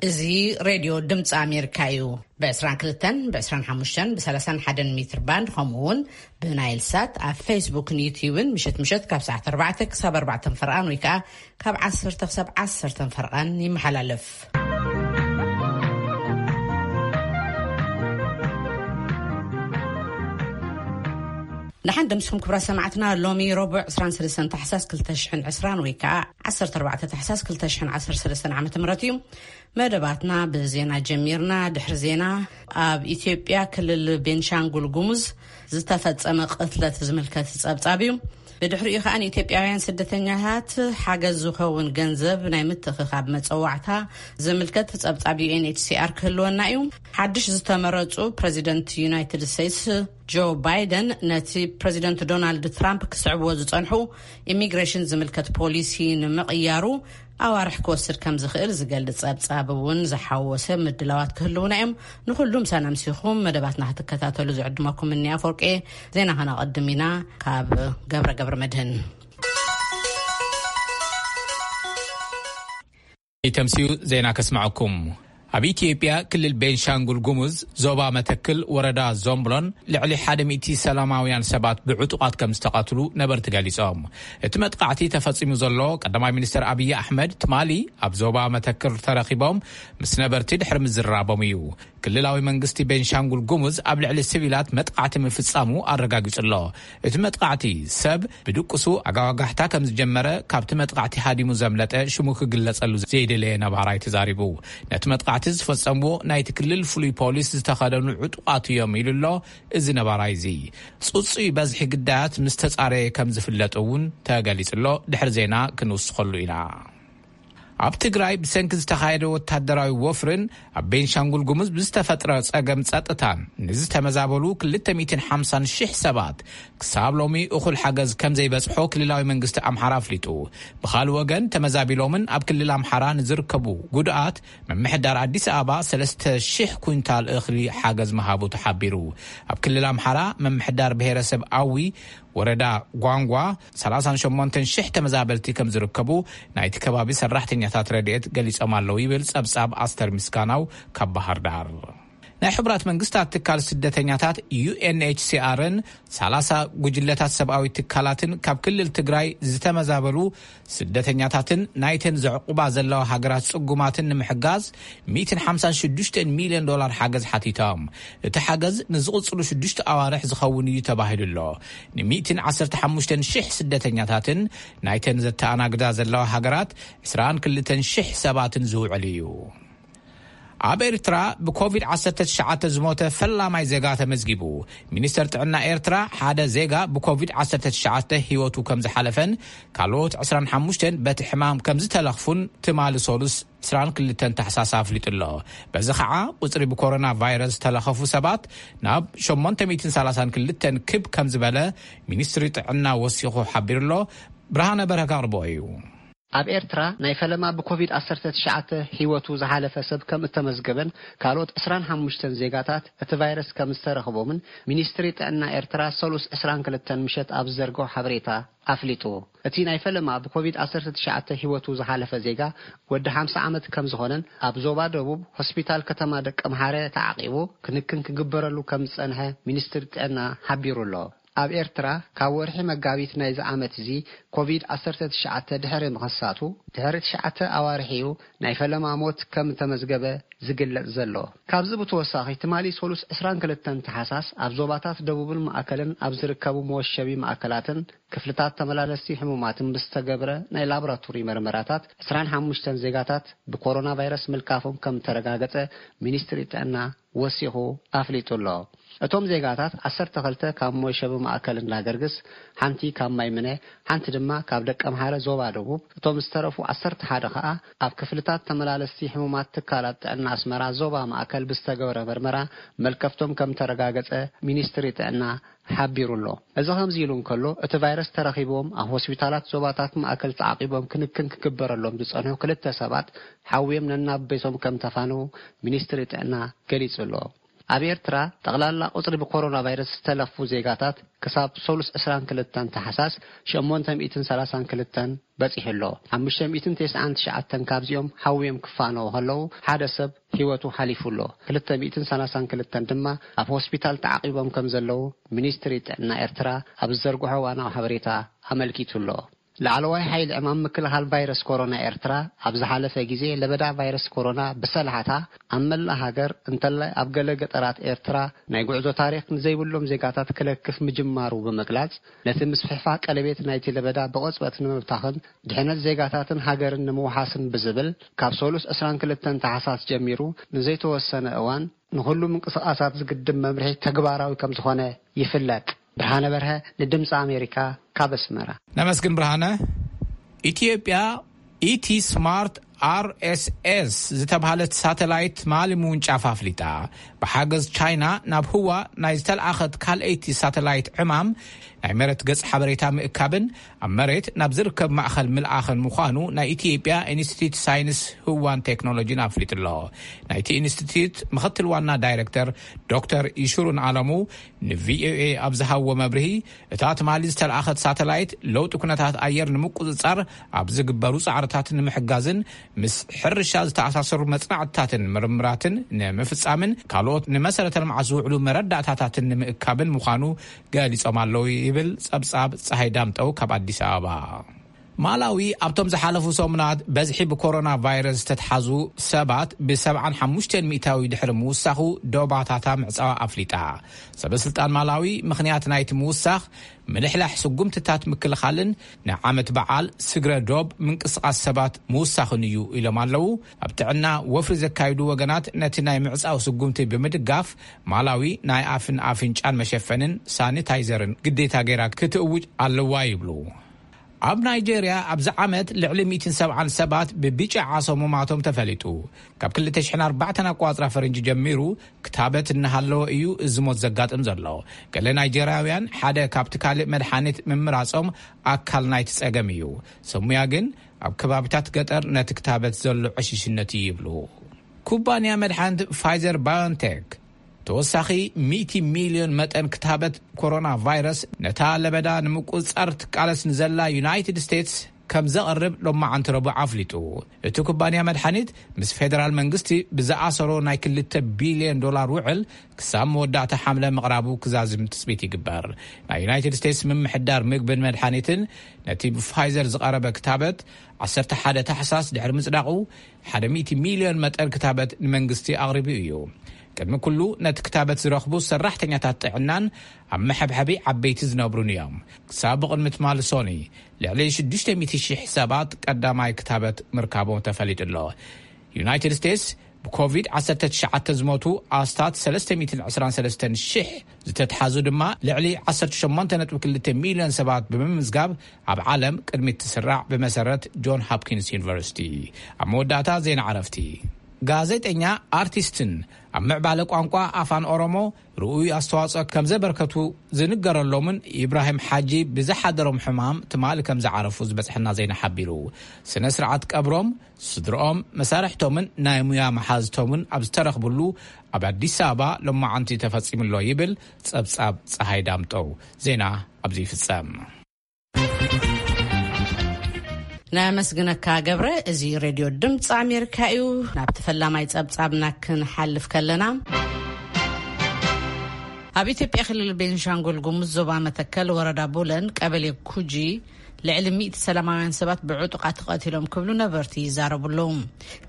እዚ ሬድዮ ድምፂ ኣሜሪካ እዩ። ብ22፣ ብ25፣ ብ31 ሜትር ባንድ፣ ከምኡ እውን ብናይል ሳት ኣብ ፌስቡክን ዩትዩብን ምሸት ምሸት ካብ ሰዓት 4 ክሳብ 4 ፈርቓን ወይ ከዓ ካብ 10 ክሳብ 10 ፈርቓን ይመሓላለፍ። ደሓን ደምስኩም ክብራ ሰማዕትና። ሎሚ ረቡዕ 23 ታሕሳስ 2020 ወይ ከዓ 14 ታሕሳስ 2013 ዓመተ ምህረት እዩ። መደባትና ብዜና ጀሚርና። ድሕሪ ዜና፣ ኣብ ኢትዮጵያ ክልል ቤንሻንጉል ጉሙዝ ዝተፈጸመ ቅትለት ዝምልከት ጸብጻብ እዩ። ብድሕሪኡ ከዓ ንኢትዮጵያውያን ስደተኛታት ሓገዝ ዝኸውን ገንዘብ ናይ ምትእኽኻብ መጸዋዕታ ዝምልከት ጸብጻብ ዩ ኤን ኤች ሲ ኣር ክህልወና እዩ። ሓድሽ ዝተመረጹ ፕረዚደንት ዩናይትድ ስቴትስ ጆ ባይደን ነቲ ፕረዚደንት ዶናልድ ትራምፕ ክስዕብዎ ዝጸንሑ ኢሚግሬሽን ዝምልከት ፖሊሲ ንምቕያሩ ኣዋርሕ ክወስድ ከም ዝኽእል ዝገልጽ ጸብጻብ እውን ዝሓወሰ ምድላዋት ክህልውና እዮም። ንኹሉ ምሳና ምሲኹም መደባትና ክትከታተሉ ዝዕድመኩም እኒ ኣፈወርቂ። ዜና ከነቐድም ኢና። ካብ ገብረ ገብረ መድህን። ኢተምስዩ ዜና ከስምዐኩም። ኣብ ኢትዮጵያ ክልል ቤንሻንጉል ጉሙዝ ዞባ መተክል ወረዳ ዞምብሎን ልዕሊ ሓደ ሚእቲ ሰላማውያን ሰባት ብዕጡቓት ከም ዝተቐትሉ ነበርቲ ገሊጾም። እቲ መጥቃዕቲ ተፈጺሙ ዘሎ ቀዳማይ ሚኒስትር ኣብይ ኣሕመድ ትማሊ ኣብ ዞባ መተክል ተረኺቦም ምስ ነበርቲ ድሕሪ ምዝራቦም እዩ። ክልላዊ መንግስቲ ቤንሻንጉል ጉሙዝ ኣብ ልዕሊ ሲቪላት መጥቃዕቲ ምፍጻሙ ኣረጋጊጹ ኣሎ። እቲ መጥቃዕቲ ሰብ ብድቅሱ ኣጋዋጋሕታ ከም ዝጀመረ ካብቲ መጥቃዕቲ ሃዲሙ ዘምለጠ ሽሙ ክግለጸሉ ዘይደለየ ነባራይ ተዛሪቡ። ነቲ መጥቃዕቲ ዝፈጸምዎ ናይቲ ክልል ፍሉይ ፖሊስ ዝተኸደኑ ዕጡቓት እዮም ኢሉ ኣሎ እዚ ነባራይ እዚ። ጽጹይ በዝሒ ግዳያት ምስ ተጻረየ ከም ዝፍለጥ እውን ተገሊጹ ኣሎ። ድሕሪ ዜና ክንውስኸሉ ኢና። ኣብ ትግራይ ብሰንኪ ዝተኻየደ ወታደራዊ ወፍርን ኣብ ቤንሻንጉል ጉሙዝ ብዝተፈጥረ ጸገም ጸጥታን ንዝተመዛበሉ 250,000 ሰባት ክሳብ ሎሚ እኹል ሓገዝ ከም ዘይበጽሖ ክልላዊ መንግስቲ ኣምሓራ ኣፍሊጡ። ብኻልእ ወገን ተመዛቢሎምን ኣብ ክልል ኣምሓራ ንዝርከቡ ጉድኣት ምምሕዳር ኣዲስ ኣበባ 3,000 ኩንታል እኽሊ ሓገዝ ምሃቡ ተሓቢሩ። ኣብ ክልል ኣምሓራ ምምሕዳር ብሄረሰብ ኣዊ ወረዳ ጓንጓ 38,000 ተመዛበልቲ ከም ዝርከቡ ናይቲ ከባቢ ሰራሕተኛታት ረድኤት ገሊጾም ኣለዉ ይብል ጸብጻብ ኣስተር ምስጋናው ካብ ባህር ዳር። ናይ ሕቡራት መንግስታት ትካል ስደተኛታት ዩ ኤን ኤች ሲ ኣርን 30 ጉጅለታት ሰብኣዊ ትካላትን ካብ ክልል ትግራይ ዝተመዛበሉ ስደተኛታትን ናይተን ዘዕቁባ ዘለዋ ሃገራት ጽጉማትን ንምሕጋዝ 156 ሚልዮን ዶላር ሓገዝ ሓቲቶም። እቲ ሓገዝ ንዝቕጽሉ ሽዱሽተ ኣዋርሕ ዝኸውን እዩ ተባሂሉ ኣሎ። ን115,000 ስደተኛታትን ናይተን ዘተኣናግዳ ዘለዋ ሃገራት 22,000 ሰባትን ዝውዕል እዩ። ኣብ ኤርትራ ብኮቪድ-19 ዝሞተ ፈላማይ ዜጋ ተመዝጊቡ። ሚኒስተር ጥዕና ኤርትራ ሓደ ዜጋ ብኮቪድ-19 ህይወቱ ከም ዝሓለፈን ካልኦት 25 በቲ ሕማም ከም ዝተለኽፉን ትማሊ ሰሉስ 22 ታሕሳስ ኣፍሊጡ ኣሎ። በዚ ኸዓ ቁጽሪ ብኮሮና ቫይረስ ዝተለኸፉ ሰባት ናብ 832 ክብ ከም ዝበለ ሚኒስትሪ ጥዕና ወሲኹ ሓቢሩ ኣሎ። ብርሃነ በረካ ኣቕርቦ እዩ። ኣብ ኤርትራ ናይ ፈለማ ብኮቪድ-19 ህይወቱ ዝሓለፈ ሰብ ከም እተመዝገበን ካልኦት 25 ዜጋታት እቲ ቫይረስ ከም ዝተረኽቦምን ሚኒስትሪ ጥዕና ኤርትራ ሰሉስ 22 ምሸት ኣብ ዝዘርግሖ ሓበሬታ ኣፍሊጡ። እቲ ናይ ፈለማ ብኮቪድ-19 ህይወቱ ዝሓለፈ ዜጋ ወዲ 50 ዓመት ከም ዝኾነን ኣብ ዞባ ደቡብ ሆስፒታል ከተማ ደቀምሓረ ተዓቂቡ ክንክን ክግበረሉ ከም ዝጸንሐ ሚኒስትሪ ጥዕና ሓቢሩ ኣሎ። ኣብ ኤርትራ ካብ ወርሒ መጋቢት ናይዚ ዓመት እዚ ኮቪድ-19 ድሕሪ ምኽሳቱ ድሕሪ ትሽዓተ ኣዋርሕ እዩ ናይ ፈለማ ሞት ከም ተመዝገበ ዝግለጽ ዘሎ። ካብዚ ብተወሳኺ ትማሊ ሰሉስ 22 ተሓሳስ ኣብ ዞባታት ደቡብን ማእከልን ኣብ ዝርከቡ መወሸቢ ማእከላትን ክፍልታት ተመላለስቲ ሕሙማትን ብዝተገብረ ናይ ላቦራቶሪ መርመራታት 25 ዜጋታት ብኮሮና ቫይረስ ምልካፎም ከም ተረጋገጸ ሚኒስትሪ ጥዕና ወሲኹ ኣፍሊጡ ኣሎ። እቶም ዜጋታት ዓሰርተ ክልተ ካብ መወሸቢ ማእከል እንዳገርግስ፣ ሓንቲ ካብ ማይምነ፣ ሓንቲ ድማ ካብ ደቀምሓረ ዞባ ደቡብ፣ እቶም ዝተረፉ ዓሰርተ ሓደ ከኣ ኣብ ክፍልታት ተመላለስቲ ሕሙማት ትካላት ጥዕና ኣስመራ ዞባ ማእከል ብዝተገበረ መርመራ መልከፍቶም ከም ተረጋገጸ ሚኒስትሪ ጥዕና ሓቢሩ ኣሎ። እዚ ከምዚ ኢሉ እንከሎ፣ እቲ ቫይረስ ተረኺብዎም ኣብ ሆስፒታላት ዞባታት ማእከል ተዓቂቦም ክንክን ክግበረሎም ዝጸንሑ ክልተ ሰባት ሓውዮም ነናብ ቤቶም ከም ተፋነዉ ሚኒስትሪ ጥዕና ገሊጹ ኣሎ። ኣብ ኤርትራ ጠቕላላ ቁጽሪ ብኮሮና ቫይረስ ዝተለኽፉ ዜጋታት ክሳብ ሰሉስ ዕስራን ክልተን ታሕሳስ ሸሞንተ ሚእትን ሰላሳን ክልተን በጺሑ ኣሎ። ሓሙሽተ ሚእትን ተስዓን ትሽዓተን ካብዚኦም ሓውዮም ክፋነዉ ከለዉ፣ ሓደ ሰብ ህይወቱ ሓሊፉ ኣሎ። ክልተ ሚእትን ሰላሳን ክልተን ድማ ኣብ ሆስፒታል ተዓቒቦም ከም ዘለዉ ሚኒስትሪ ጥዕና ኤርትራ ኣብ ዝዘርግሖ ዋናዊ ሓበሬታ ኣመልኪቱ ኣሎ። ላዕለዋይ ሓይሊ ዕማም ምክልኻል ቫይረስ ኮሮና ኤርትራ፣ ኣብ ዝሓለፈ ግዜ ለበዳ ቫይረስ ኮሮና ብሰላሕታ ኣብ መላእ ሃገር፣ እንተላይ ኣብ ገለ ገጠራት ኤርትራ፣ ናይ ጉዕዞ ታሪኽ ንዘይብሎም ዜጋታት ክለክፍ ምጅማሩ ብምግላጽ፣ ነቲ ምስፍሕፋሕ ቀለቤት ናይቲ ለበዳ ብቕጽበት ንምብታኽን ድሕነት ዜጋታትን ሃገርን ንምውሓስን ብዝብል፣ ካብ ሰሉስ ዕስራን ክልተን ታሕሳስ ጀሚሩ ንዘይተወሰነ እዋን ንኹሉ ምንቅስቓሳት ዝግድብ መምርሒ ተግባራዊ ከም ዝኾነ ይፍለጥ። ብርሃነ በርሀ፣ ንድምፂ ኣሜሪካ፣ ካብ ኣስመራ። ነመስግን ብርሃነ። ኢትዮጵያ፣ ኢቲ ስማርት ኣር ኤስ ኤስ ዝተባህለት ሳተላይት ትማሊ ምውንጫፍ ኣፍሊጣ። ብሓገዝ ቻይና ናብ ህዋ ናይ ዝተልኣኸት ካልኣይቲ ሳተላይት ዕማም ናይ መሬት ገጽ ሓበሬታ ምእካብን ኣብ መሬት ናብ ዝርከብ ማእኸል ምልኣኽን ምዃኑ ናይ ኢትዮጵያ ኢንስቲትዩት ሳይንስ ህዋን ቴክኖሎጂን ኣፍሊጡ ኣሎ። ናይቲ ኢንስቲትዩት ምኽትል ዋና ዳይሬክተር ዶክተር ይሽሩን ኣለሙ ንቪኦኤ ኣብ ዝሃብዎ መብርሂ፣ እታ ትማሊ ዝተልኣኸት ሳተላይት ለውጢ ኩነታት ኣየር ንምቁጽጻር ኣብ ዝግበሩ ጻዕርታት ንምሕጋዝን ምስ ሕርሻ ዝተኣሳሰሩ መጽናዕትታትን ምርምራትን ንምፍጻምን ካልኦት ንመሰረተ ልምዓት ዝውዕሉ መረዳእታታትን ንምእካብን ምዃኑ ገሊጾም ኣለዉ ይብል ጸብጻብ ጸሃይ ዳምጠው ካብ ኣዲስ ኣበባ። ማላዊ ኣብቶም ዝሓለፉ ሰሙናት በዝሒ ብኮሮና ቫይረስ ዝተትሓዙ ሰባት ብ75% ድሕሪ ምውሳኹ ዶባታታ ምዕጻዋ ኣፍሊጣ። ሰበ ስልጣን ማላዊ ምኽንያት ናይቲ ምውሳኽ ምልሕላሕ ስጉምትታት ምክልኻልን ንዓመት በዓል ስግረ ዶብ ምንቅስቓስ ሰባት ምውሳኽን እዩ ኢሎም ኣለዉ። ኣብ ጥዕና ወፍሪ ዘካይዱ ወገናት ነቲ ናይ ምዕጻው ስጉምቲ ብምድጋፍ ማላዊ ናይ ኣፍን ኣፍንጫን መሸፈንን ሳኒታይዘርን ግዴታ ገይራ ክትእውጅ ኣለዋ ይብሉ። ኣብ ናይጄርያ ኣብዚ ዓመት ልዕሊ ሚእትን ሰብዓን ሰባት ብቢጫ ዓሶ ምማቶም ተፈሊጡ። ካብ ክልተ ሽሕን ኣርባዕተን ኣቋጽራ ፈረንጂ ጀሚሩ ክታበት እናሃለወ እዩ እዚ ሞት ዘጋጥም ዘሎ። ገለ ናይጄርያውያን ሓደ ካብቲ ካልእ መድሓኒት ምምራጾም ኣካል ናይቲ ጸገም እዩ። ሰሙያ ግን ኣብ ከባቢታት ገጠር ነቲ ክታበት ዘሎ ዕሽሽነት እዩ ይብሉ። ኩባንያ መድሓኒት ፋይዘር ባዮንቴክ ተወሳኺ ሚእቲ ሚልዮን መጠን ክታበት ኮሮና ቫይረስ ነታ ለበዳ ንምቁጽጻር ትቃለስ ንዘላ ዩናይትድ ስቴትስ ከም ዘቕርብ ሎማዓንቲ ረቡዕ ኣፍሊጡ። እቲ ኩባንያ መድሓኒት ምስ ፌደራል መንግስቲ ብዝኣሰሮ ናይ ክልተ ቢልዮን ዶላር ውዕል ክሳብ መወዳእታ ሓምለ ምቕራቡ ክዛዝም ትጽቢት ይግበር። ናይ ዩናይትድ ስቴትስ ምምሕዳር ምግብን መድሓኒትን ነቲ ብፋይዘር ዝቐረበ ክታበት ዓሰርተ ሓደ ታሕሳስ ድሕሪ ምጽዳቑ ሓደ ሚእቲ ሚልዮን መጠን ክታበት ንመንግስቲ ኣቕሪቡ እዩ። ቅድሚ ኩሉ ነቲ ክታበት ዝረኽቡ ሰራሕተኛታት ጥዕናን ኣብ መሐብሐቢ ዓበይቲ ዝነብሩን እዮም። ክሳብ ብቕድሚ ትማሊ ሶኒ ልዕሊ ሽዱሽተ ሚእቲ ሽሕ ሰባት ቀዳማይ ክታበት ምርካቦም ተፈሊጡ ኣሎ። ዩናይትድ ስቴትስ ብኮቪድ ዓሰርተ ትሽዓተ ዝሞቱ ኣስታት ሰለስተ ሚእትን ዕስራን ሰለስተን ሽሕ ዝተትሓዙ ድማ ልዕሊ ዓሰርተ ሸሞንተ ነጥቢ ክልተ ሚልዮን ሰባት ብምምዝጋብ ኣብ ዓለም ቅድሚት ትስራዕ ብመሰረት ጆን ሆፕኪንስ ዩኒቨርሲቲ። ኣብ መወዳእታ ዜና ዕረፍቲ። ጋዜጠኛ ኣርቲስትን ኣብ ምዕባለ ቋንቋ ኣፋን ኦሮሞ ርኡይ ኣስተዋጽኦ ከም ዘበርከቱ ዝንገረሎምን ኢብራሂም ሓጂ ብዝሓደሮም ሕማም ትማሊ ከም ዝዓረፉ ዝበጽሐና ዜና ሓቢሩ። ስነ ስርዓት ቀብሮም ስድርኦም፣ መሳርሕቶምን ናይ ሙያ መሓዝቶምን ኣብ ዝተረኽብሉ ኣብ ኣዲስ ኣበባ ሎማዓንቲ ተፈጺሙ ኣሎ ይብል ጸብጻብ ጸሃይ ዳምጠው። ዜና ኣብዚ ይፍጸም። ነመስግነካ ገብረ። እዚ ሬድዮ ድምፂ ኣሜሪካ እዩ። ናብቲ ፈላማይ ጸብጻብና ክንሓልፍ ከለና፣ ኣብ ኢትዮጵያ ክልል ቤንሻንጉል ጉሙዝ ዞባ መተከል ወረዳ ቡለን ቀበሌ ኩጂ ልዕሊ ሚእቲ ሰላማውያን ሰባት ብዕጡቓት ተቐቲሎም ክብሉ ነበርቲ ይዛረቡ ኣለዉ።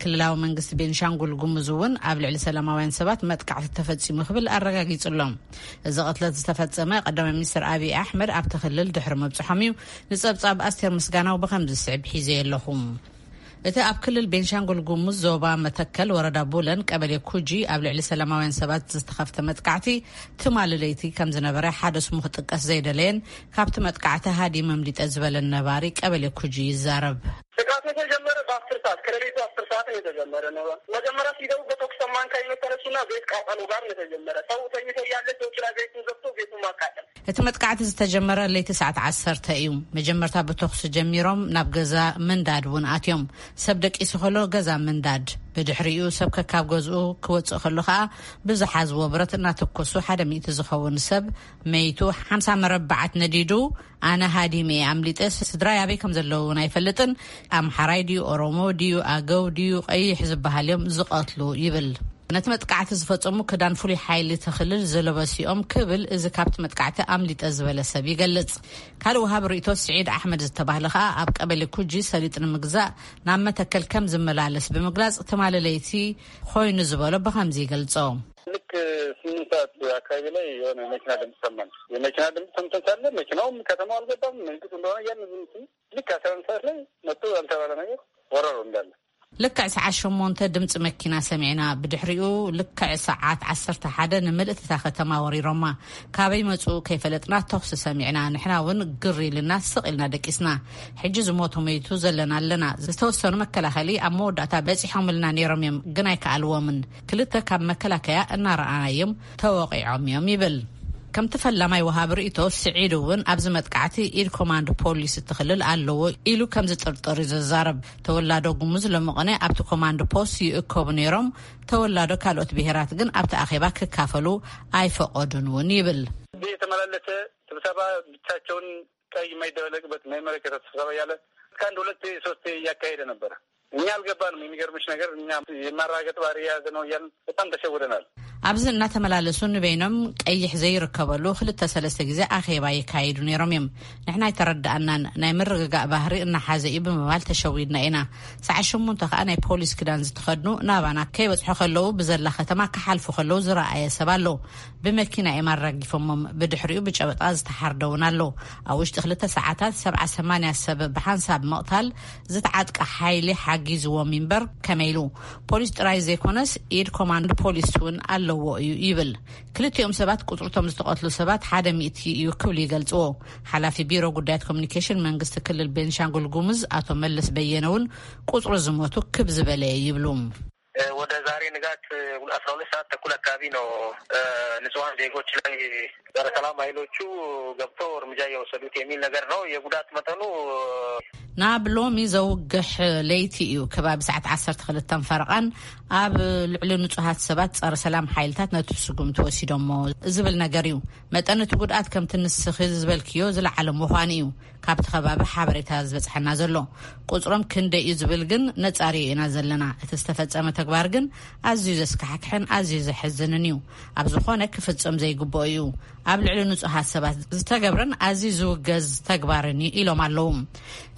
ክልላዊ መንግስቲ ቤንሻንጉል ጉሙዝ እውን ኣብ ልዕሊ ሰላማውያን ሰባት መጥቃዕቲ ተፈጺሙ ክብል ኣረጋጊጹ ኣሎ። እዚ ቅትለት ዝተፈጸመ ቀዳማይ ሚኒስትር ኣብይ ኣሕመድ ኣብቲ ክልል ድሕሪ ምብጽሖም እዩ። ንጸብጻብ ኣስቴር ምስጋናው ብኸምዚ ዝስዕብ ሒዘ ኣለኹ። እቲ ኣብ ክልል ቤንሻንጉል ጉሙዝ ዞባ መተከል ወረዳ ቡለን ቀበሌ ኩጂ ኣብ ልዕሊ ሰላማውያን ሰባት ዝተኸፍተ መጥቃዕቲ ትማሊ ለይቲ ከም ዝነበረ ሓደ ስሙ ክጥቀስ ዘይደለየን ካብቲ መጥቃዕቲ ሃዲ መምሊጠ ዝበለን ነባሪ ቀበሌ ኩጂ ይዛረብ። ጥቃቱ የተጀመረ በአስር ሰዓት፣ ከሌሊቱ አስር ሰዓት ነው የተጀመረ ነው። መጀመሪያ ሲገቡ በተኩስ ማንካ የተነሱና ቤት ቃጠሎ ጋር ነው የተጀመረ። ሰው ተኝቶ እያለ ሰዎች ላይ ቤቱን ዘግቶ ቤቱን ማቃጠል። እቲ መጥቃዕቲ ዝተጀመረ ለይቲ ሰዓት ዓሰርተ እዩ። መጀመርታ ብተኹሲ ጀሚሮም ናብ ገዛ ምንዳድ እውን ኣትዮም። ሰብ ደቂሱ ከሎ ገዛ ምንዳድ። ብድሕሪኡ ሰብ ከካብ ገዝኡ ክወፅእ ከሎ ከዓ ብዝሓዝዎ ብረት እናተኮሱ ሓደ ሚእቲ ዝኸውን ሰብ መይቱ፣ ሓምሳ መረባዓት ነዲዱ። ኣነ ሃዲመ እየ ኣምሊጠ፣ ስድራይ ኣበይ ከም ዘለዉ እውን ኣይፈልጥን። ኣምሓራይ ድዩ ኦሮሞ ድዩ ኣገው ድዩ ቀይሕ ዝበሃል እዮም ዝቐትሉ ይብል። ነቲ መጥቃዕቲ ዝፈጸሙ ክዳን ፍሉይ ሓይሊ እቲ ክልል ዝለበሱ እዮም ክብል እዚ ካብቲ መጥቃዕቲ ኣምሊጠ ዝበለ ሰብ ይገልጽ። ካልእ ወሃቢ ርእይቶ ስዒድ ኣሕመድ ዝተባህለ ከኣ ኣብ ቀበሌ ኩጂ ሰሊጥ ንምግዛእ ናብ መተከል ከም ዝመላለስ ብምግላጽ ትማሊ ለይቲ ኮይኑ ዝበሎ ብኸምዚ ይገልጾ። ልክ ስምንት ሰዓት አካባቢ ላይ የሆነ መኪና ድምፅ ሰማን። የመኪና ድምፅ ሰምተን ሳለ መኪናውም ከተማው አልገባም፣ መንግስት እንደሆነ እያልን ዝም ስል ልክ አስራ አንድ ሰዓት ላይ መጡ። ያልተባለ ነገር ወረሩ እንዳለ። ልክዕ ሰዓት ሸሞንተ ድምፂ መኪና ሰሚዕና። ብድሕሪኡ ልክዕ ሰዓት ዓሰርተ ሓደ ንምልእቲ እታ ከተማ ወሪሮማ። ካበይ መፁ ከይፈለጥና ተኹሲ ሰሚዕና። ንሕና እውን ግር ኢልና ስቕ ኢልና ደቂስና። ሕጂ ዝሞቱ መይቱ ዘለና ኣለና። ዝተወሰኑ መከላኸሊ ኣብ መወዳእታ በፂሖምልና ነይሮም እዮም፣ ግን ኣይከኣልዎምን። ክልተ ካብ መከላከያ እናረኣናዮም ተወቒዖም እዮም ይብል። ከምቲ ፈላማይ ወሃቢ ርእይቶ ስዒድ እውን ኣብዚ መጥቃዕቲ ኢድ ኮማንድ ፖሊስ እቲ ክልል ኣለዎ ኢሉ ከም ዝጥርጥር እዩ ዝዛረብ። ተወላዶ ጉሙዝ ሎሚ ቅነ ኣብቲ ኮማንድ ፖስት ይእከቡ ነይሮም። ተወላዶ ካልኦት ብሄራት ግን ኣብቲ ኣኼባ ክካፈሉ ኣይፈቐዱን እውን ይብል። እዚህ የተመላለሰ ስብሰባ ብቻቸውን ቀይ የማይደበለቅበት የማይመለከተው ስብሰባ እያለ እስከ አንድ ሁለት ሶስት እያካሄደ ነበረ። እኛ አልገባንም። የሚገርምሽ ነገር እኛ የማራገጥ ባህሪ የያዘ ነው እያልን በጣም ተሸውደናል። ኣብዚ እናተመላለሱ ንበይኖም ቀይሕ ዘይርከበሉ ክልተ ሰለስተ ግዜ ኣኼባ የካይዱ ነይሮም እዮም። ንሕና ኣይተረዳኣናን። ናይ ምርግጋእ ባህሪ እናሓዘ እዩ ብምባል ተሸዊድና ኢና። ሰዓት ሸሞንተ ከዓ ናይ ፖሊስ ክዳን ዝተኸድኑ ናባና ከይበፅሑ ከለዉ ብዘላ ከተማ ክሓልፉ ከለዉ ዝረኣየ ሰብ ኣሎ። ብመኪና እዮም ኣራጊፎሞም። ብድሕሪኡ ብጨበጣ ዝተሓርደ እውን ኣሎ። ኣብ ውሽጢ ክልተ ሰዓታት ሰብዓ ሰማንያ ሰብ ብሓንሳብ ምቕታል ዝተዓጥቀ ሓይሊ ሓጊዝዎም እምበር ከመይ ኢሉ። ፖሊስ ጥራይ ዘይኮነስ ኢድ ኮማንድ ፖሊስ እውን ኣለዎ እዩ ይብል። ክልቲኦም ሰባት ቁፅርቶም ዝተቐትሉ ሰባት ሓደ ሚእቲ እዩ ክብሉ ይገልፅዎ። ሓላፊ ቢሮ ጉዳያት ኮሚኒኬሽን መንግስቲ ክልል ቤንሻንጉል ጉሙዝ ኣቶ መለስ በየነ እውን ቁፅሩ ዝሞቱ ክብ ዝበለ ይብሉ። ወደ ዛሬ ንጋት አስራ ሁለት ሰዓት ተኩል አካባቢ ነው ንጹሃን ዜጎች ላይ ጸረ ሰላም ኃይሎቹ ገብተው እርምጃ እየወሰዱት የሚል ነገር ነው። የጉዳት መጠኑ ናብ ሎሚ ዘውግሕ ለይቲ እዩ። ከባቢ ሰዓት ዓሰርተ ክልተ ፈረቓን ኣብ ልዕሊ ንጹሃት ሰባት ጸረ ሰላም ሓይልታት ነቲ ስጉምቲ ወሲዶሞ ዝብል ነገር እዩ። መጠን እቲ ጉድኣት ከምቲ ንስኺ ዝበልክዮ ዝለዓለ ምዃኑ እዩ። ካብቲ ከባቢ ሓበሬታ ዝበጽሐና ዘሎ። ቁጽሮም ክንደይ እዩ ዝብል ግን ነጻርዮ ኢና ዘለና። እቲ ዝተፈጸመ ተግባር ግን ኣዝዩ ዘስካሕክሕን ኣዝዩ ዘሕዝንን እዩ። ኣብ ዝኾነ ክፍጽም ዘይግብኦ እዩ። ኣብ ልዕሊ ንጹሃት ሰባት ዝተገብረን ኣዝዩ ዝውገዝ ተግባርን እዩ ኢሎም ኣለዉ።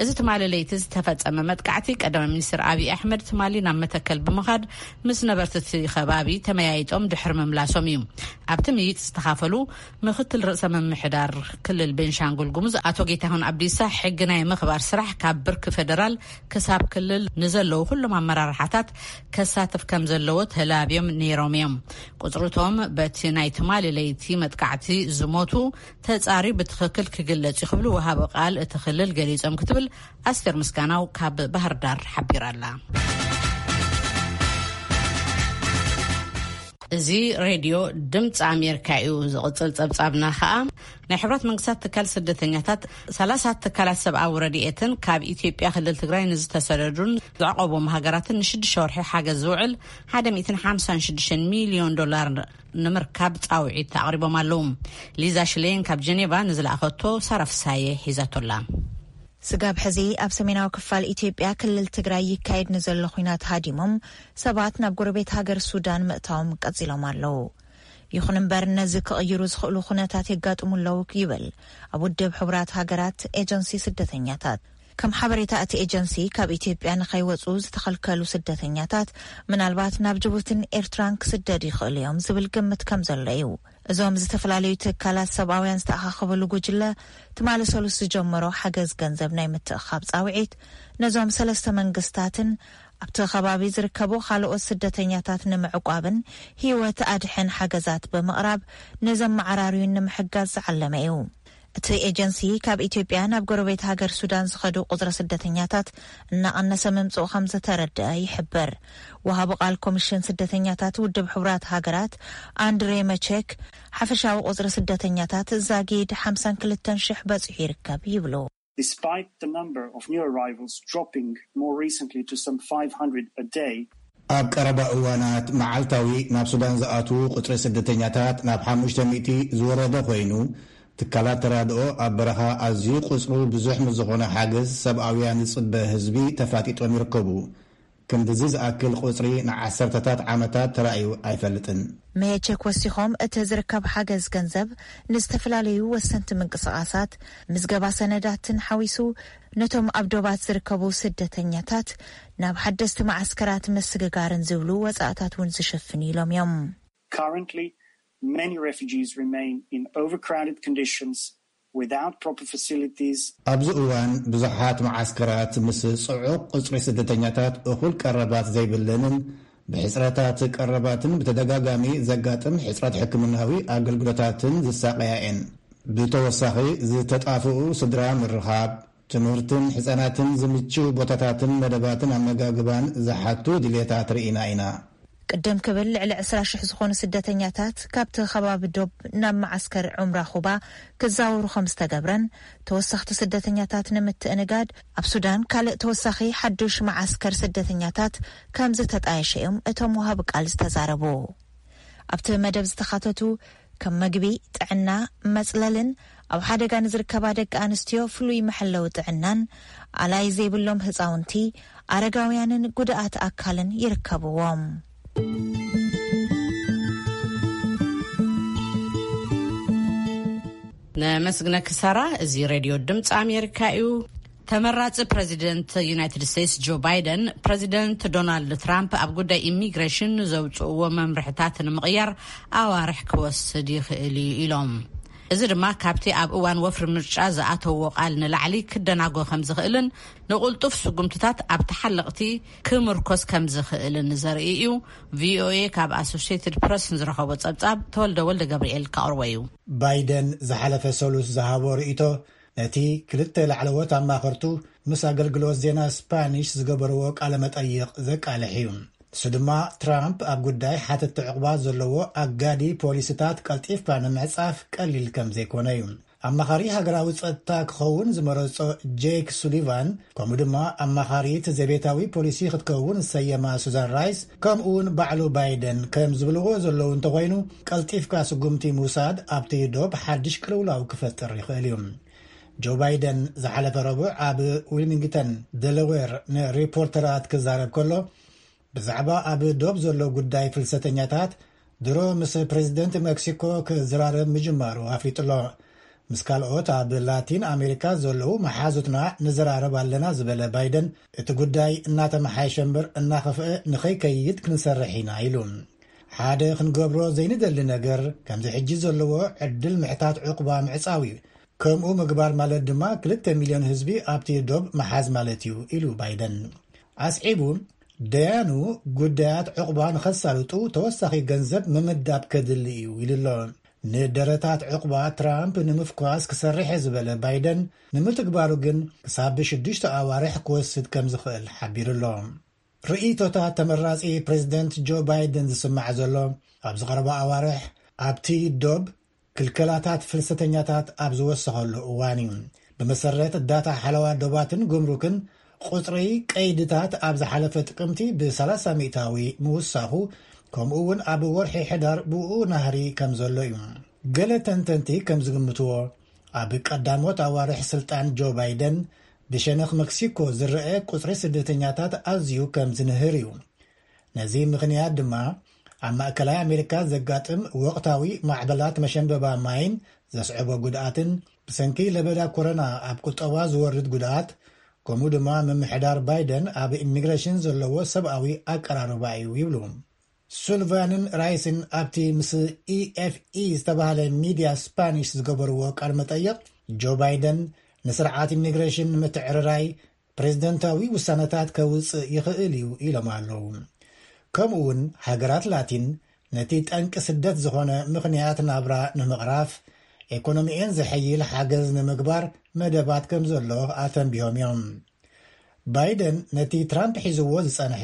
እዚ ትማሊ ለይቲ ዝተፈጸመ መጥቃዕቲ ቀዳማይ ሚኒስትር ኣብይ ኣሕመድ ትማሊ ናብ መተከል ብምኻድ ምስ ነበርቲ እቲ ከባቢ ተመያይጦም ድሕሪ ምምላሶም እዩ። ኣብቲ ምይይጥ ዝተኻፈሉ ምክትል ርእሰ ምምሕዳር ክልል ቤንሻንጉል ጉሙዝ ኣቶ ጌታሁን ኣብዲሳ ሕጊ ናይ ምኽባር ስራሕ ካብ ብርኪ ፌደራል ክሳብ ክልል ንዘለዉ ኩሎም ኣመራርሓታት ከሳትፍ ከም ዘለዎ ተላብዮም ነይሮም እዮም። ቁፅርቶም በቲ ናይ ትማሊ ለይቲ መጥቃዕቲ ዝሞቱ ተፃርዩ ብትኽክል ክግለፅ እዩ ክብሉ ወሃቢ ቃል እቲ ክልል ገሊፆም ክትብል ኣስቴር ምስጋናው ካብ ባህር ዳር ሓቢራ ኣላ። እዚ ሬድዮ ድምፂ ኣሜሪካ እዩ። ዝቕፅል ፀብፃብና ከዓ ናይ ሕብረት መንግስታት ትካል ስደተኛታት ሰላሳ ትካላት ሰብኣዊ ረድኤትን ካብ ኢትዮጵያ ክልል ትግራይ ንዝተሰደዱን ዘዕቆቦም ሃገራትን ንሽዱሽተ ወርሒ ሓገዝ ዝውዕል ሓደ ሚእትን ሓምሳን ሽዱሽተን ሚልዮን ዶላር ንምርካብ ፃውዒት ኣቕሪቦም ኣለዉ። ሊዛ ሽሌን ካብ ጀኔቫ ንዝለኣኸቶ ሳራ ፍሳየ ሒዛቶላ። ስጋብ ሕዚ ኣብ ሰሜናዊ ክፋል ኢትዮጵያ ክልል ትግራይ ይካየድ ንዘሎ ኹናት ሃዲሞም ሰባት ናብ ጎረቤት ሃገር ሱዳን ምእታዎም ቀጺሎም ኣለዉ። ይኹን እምበር ነዚ ክቕይሩ ዝኽእሉ ኩነታት የጋጥሙ ኣለዉ ይብል ኣብ ውድብ ሕቡራት ሃገራት ኤጀንሲ ስደተኛታት። ከም ሓበሬታ እቲ ኤጀንሲ ካብ ኢትዮጵያ ንኸይወፁ ዝተኸልከሉ ስደተኛታት ምናልባት ናብ ጅቡትን ኤርትራን ክስደዱ ይኽእሉ እዮም ዝብል ግምት ከም ዘሎ እዩ። እዞም ዝተፈላለዩ ትካላት ሰብኣውያን ዝተኣኻኸብሉ ጉጅለ ትማሊ ሰሉስ ዝጀመሮ ሓገዝ ገንዘብ ናይ ምትእኻብ ፃውዒት ነዞም ሰለስተ መንግስታትን ኣብቲ ከባቢ ዝርከቡ ካልኦት ስደተኛታት ንምዕቋብን ህይወት ኣድሕን ሓገዛት ብምቕራብ ንዘመዓራርዩን ንምሕጋዝ ዝዓለመ እዩ። እቲ ኤጀንሲ ካብ ኢትዮጵያ ናብ ጎረቤት ሃገር ሱዳን ዝኸዱ ቁፅሪ ስደተኛታት እናቐነሰ ምምፅኡ ከም ዝተረደአ ይሕብር። ወሃቢ ቃል ኮሚሽን ስደተኛታት ውድብ ሕቡራት ሃገራት ኣንድሬ መቼክ ሓፈሻዊ ቁፅሪ ስደተኛታት ዛጊድ ሓምሳን ክልተን ሽሕ በፂሑ ይርከብ ይብሉ። Despite the number of new arrivals dropping more recently to some five hundred a day, ኣብ ቀረባ እዋናት መዓልታዊ ናብ ሱዳን ዝኣትዉ ቁጽሪ ስደተኛታት ናብ ሓሙሽተ ሚእቲ ዝወረደ ኮይኑ፣ ትካላት ተራድኦ ኣብ በረኻ ኣዝዩ ቁጽሩ ብዙሕ ምስ ዝኾነ ሓገዝ ሰብኣውያን ዝጽበ ህዝቢ ተፋጢጦም ይርከቡ። ክንድዚ ዝኣክል ቁጽሪ ንዓሰርተታት ዓመታት ተራእዩ ኣይፈልጥን። መሄቸክ ወሲኾም፣ እቲ ዝርከብ ሓገዝ ገንዘብ ንዝተፈላለዩ ወሰንቲ ምንቅስቓሳት፣ ምዝገባ ሰነዳትን ሓዊሱ፣ ነቶም ኣብ ዶባት ዝርከቡ ስደተኛታት ናብ ሓደስቲ መዓስከራት ምስግጋርን ዝብሉ ወጻእታት እውን ዝሸፍን ኢሎም እዮም። Currently, many refugees remain in overcrowded conditions without proper facilities. ኣብዚ እዋን ብዙሓት መዓስከራት ምስ ጽዑቕ ቁጽሪ ስደተኛታት እኹል ቀረባት ዘይብለንን ብሕጽረታት ቀረባትን ብተደጋጋሚ ዘጋጥም ሕጽረት ሕክምናዊ ኣገልግሎታትን ዝሳቐያ እየን። ብተወሳኺ ዝተጣፍኡ ስድራ ምርኻብ፣ ትምህርትን ሕጻናትን ዝምችው ቦታታትን መደባትን ኣመጋግባን ዝሓቱ ድሌታት ርኢና ኢና። ቅድም ክብል ልዕሊ ዕስራ ሽሕ ዝኾኑ ስደተኛታት ካብቲ ከባቢ ዶብ ናብ መዓስከር ዑምራ ኩባ ክዛወሩ ከም ዝተገብረን፣ ተወሰኽቲ ስደተኛታት ንምትእንጋድ ኣብ ሱዳን ካልእ ተወሳኺ ሓዱሽ መዓስከር ስደተኛታት ከም ዝተጣየሸ እዮም እቶም ወሃቢ ቃል ዝተዛረቡ። ኣብቲ መደብ ዝተኻተቱ ከም መግቢ፣ ጥዕና፣ መጽለልን ኣብ ሓደጋ ንዝርከባ ደቂ ኣንስትዮ ፍሉይ መሐለዊ ጥዕናን፣ ኣላይ ዘይብሎም ህጻውንቲ፣ ኣረጋውያንን ጉድኣት ኣካልን ይርከብዎም። ነመስግነኪ ሳራ። እዚ ሬድዮ ድምፂ ኣሜሪካ እዩ። ተመራፂ ፕረዚደንት ዩናይትድ ስቴትስ ጆ ባይደን፣ ፕረዚደንት ዶናልድ ትራምፕ ኣብ ጉዳይ ኢሚግሬሽን ዘውፅእዎ መምርሕታት ንምቕያር ኣዋርሕ ክወስድ ይኽእል እዩ ኢሎም። እዚ ድማ ካብቲ ኣብ እዋን ወፍሪ ምርጫ ዝኣተዎ ቃል ንላዕሊ ክደናጎ ከም ዝኽእልን ንቕልጡፍ ስጉምትታት ኣብ ተሓለቕቲ ክምርኮስ ከም ዝኽእልን ዘርኢ እዩ። ቪኦኤ ካብ ኣሶሽትድ ፕረስ ንዝረኸቦ ጸብጻብ ተወልደ ወልደ ገብርኤል ከቕርቦ እዩ። ባይደን ዝሓለፈ ሰሉስ ዝሃቦ ርእይቶ ነቲ ክልተ ላዕለዎት ኣማኸርቱ ምስ ኣገልግሎት ዜና ስፓኒሽ ዝገበርዎ ቃለ መጠይቕ ዘቃልሕ እዩ። ንሱ ድማ ትራምፕ ኣብ ጉዳይ ሓተቲ ዕቑባ ዘለዎ ኣጋዲ ፖሊሲታት ቀልጢፍካ ንምዕጻፍ ቀሊል ከም ዘይኮነ እዩ። ኣማኻሪ ሃገራዊ ጸጥታ ክኸውን ዝመረጾ ጄክ ሱሊቫን፣ ከምኡ ድማ ኣማኻሪት ዘቤታዊ ፖሊሲ ክትከውን ዝሰየማ ሱዛን ራይስ፣ ከምኡ እውን ባዕሉ ባይደን ከም ዝብልዎ ዘለዉ እንተኾይኑ፣ ቀልጢፍካ ስጉምቲ ምውሳድ ኣብቲ ዶብ ሓድሽ ቅልውላው ክፈጥር ይኽእል እዩ። ጆ ባይደን ዝሓለፈ ረቡዕ ኣብ ዊልሚንግተን ደለዌር ንሪፖርተራት ክዛረብ ከሎ፣ ብዛዕባ ኣብ ዶብ ዘሎ ጉዳይ ፍልሰተኛታት ድሮ ምስ ፕሬዚደንት ሜክሲኮ ክዘራረብ ምጅማሩ ኣፍሊጡ ኣሎ። ምስ ካልኦት ኣብ ላቲን ኣሜሪካ ዘለዉ መሓዙትና ንዘራረብ ኣለና ዝበለ ባይደን፣ እቲ ጉዳይ እናተመሓየሸ እምበር እናኸፍአ ንኸይከይድ ክንሰርሕ ኢና ኢሉ። ሓደ ክንገብሮ ዘይንደሊ ነገር ከምዚ ሕጂ ዘለዎ ዕድል ምሕታት ዕቑባ ምዕጻው እዩ። ከምኡ ምግባር ማለት ድማ ክልተ ሚልዮን ህዝቢ ኣብቲ ዶብ ምሓዝ ማለት እዩ ኢሉ ባይደን። ኣስዒቡ፣ ደያኑ ጉዳያት ዕቑባ ንኸሳልጡ ተወሳኺ ገንዘብ ምምዳብ ከድሊ እዩ ኢሉ ኣሎ። ንደረታት ዕቑባ ትራምፕ ንምፍኳስ ክሰርሕ እየ ዝበለ ባይደን፣ ንምትግባሩ ግን ክሳብ ሽዱሽተ ኣዋርሕ ክወስድ ከም ዝኽእል ሓቢሩ ኣሎ። ርእይቶታት ተመራጺ ፕሬዚደንት ጆ ባይደን ዝስማዕ ዘሎ፣ ኣብዚ ቀረባ ኣዋርሕ ኣብቲ ዶብ ክልከላታት ፍልሰተኛታት ኣብ ዝወሰኸሉ እዋን እዩ። ብመሰረት ዳታ ሓለዋ ዶባትን ጉምሩክን፣ ቁጽሪ ቀይድታት ኣብ ዝሓለፈ ጥቅምቲ ብ30 ሚእታዊ ምውሳኹ፣ ከምኡ እውን ኣብ ወርሒ ሕዳር ብኡ ናህሪ ከም ዘሎ እዩ። ገለ ተንተንቲ ከም ዝግምትዎ፣ ኣብ ቀዳሞት ኣዋርሕ ስልጣን ጆ ባይደን፣ ብሸነኽ መክሲኮ ዝረአ ቁጽሪ ስደተኛታት ኣዝዩ ከም ዝንህር እዩ። ነዚ ምኽንያት ድማ፣ ኣብ ማእከላይ ኣሜሪካ ዘጋጥም ወቕታዊ ማዕበላት መሸንበባ ማይን ዘስዕቦ ጉድኣትን፣ ብሰንኪ ለበዳ ኮሮና ኣብ ቁጠባ ዝወርድ ጉድኣት፣ ከምኡ ድማ ምምሕዳር ባይደን ኣብ ኢሚግሬሽን ዘለዎ ሰብኣዊ ኣቀራርባ እዩ ይብሉ። ሱልቫንን ራይስን ኣብቲ ምስ ኢኤፍኢ ዝተባህለ ሚድያ ስፓኒሽ ዝገበርዎ ቃል መጠይቕ፣ ጆ ባይደን ንስርዓት ኢሚግሬሽን ንምትዕርራይ ፕሬዝደንታዊ ውሳነታት ከውፅእ ይኽእል እዩ ኢሎም ኣለዉ። ከምኡ እውን ሃገራት ላቲን ነቲ ጠንቂ ስደት ዝኾነ ምኽንያት ናብራ ንምቕራፍ፣ ኤኮኖሚኤን ዘሐይል ሓገዝ ንምግባር መደባት ከም ዘሎ ኣተንቢሆም እዮም። ባይደን ነቲ ትራምፕ ሒዝዎ ዝጸንሐ፣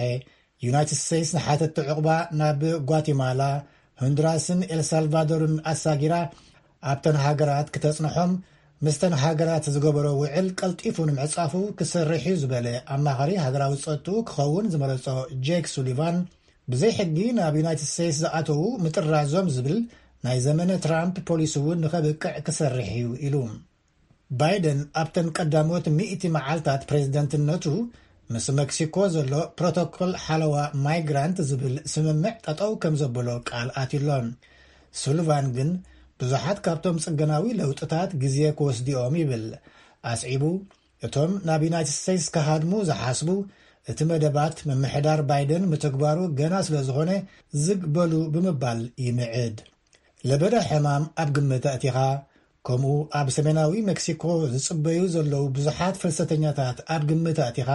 ዩናይትድ ስቴትስ ንሓተቲ ዕቑባ ናብ ጓቲማላ፣ ሆንዱራስን ኤልሳልቫዶርን ኣሳጊራ፣ ኣብተን ሃገራት ክተጽንሖም ምስተን ሃገራት ዝገበሮ ውዕል ቀልጢፉ ንምዕጻፉ ክሰርሕ እዩ ዝበለ ኣማኻሪ ሃገራዊ ጸጥኡ ክኸውን ዝመረጾ ጄክ ሱሊቫን፣ ብዘይ ሕጊ ናብ ዩናይትድ ስቴትስ ዝኣተዉ ምጥራዞም ዝብል ናይ ዘመነ ትራምፕ ፖሊሲ እውን ንኸብቅዕ ክሰርሕ እዩ ኢሉ። ባይደን ኣብተን ቀዳሞት ሚእቲ መዓልታት ፕሬዝደንትነቱ ምስ መክሲኮ ዘሎ ፕሮቶኮል ሓለዋ ማይግራንት ዝብል ስምምዕ ጠጠው ከም ዘበሎ ቃል ኣትዩሎ። ሱልቫን ግን ብዙሓት ካብቶም ጽገናዊ ለውጥታት ግዜ ክወስድኦም ይብል። ኣስዒቡ፣ እቶም ናብ ዩናይትድ ስቴትስ ክሃድሙ ዝሓስቡ፣ እቲ መደባት ምምሕዳር ባይደን ምትግባሩ ገና ስለ ዝኾነ ዝግ በሉ ብምባል ይምዕድ። ለበዳ ሕማም ኣብ ግምት ኣእቲኻ፣ ከምኡ ኣብ ሰሜናዊ ሜክሲኮ ዝጽበዩ ዘለዉ ብዙሓት ፍልሰተኛታት ኣብ ግምት ኣእቲኻ፣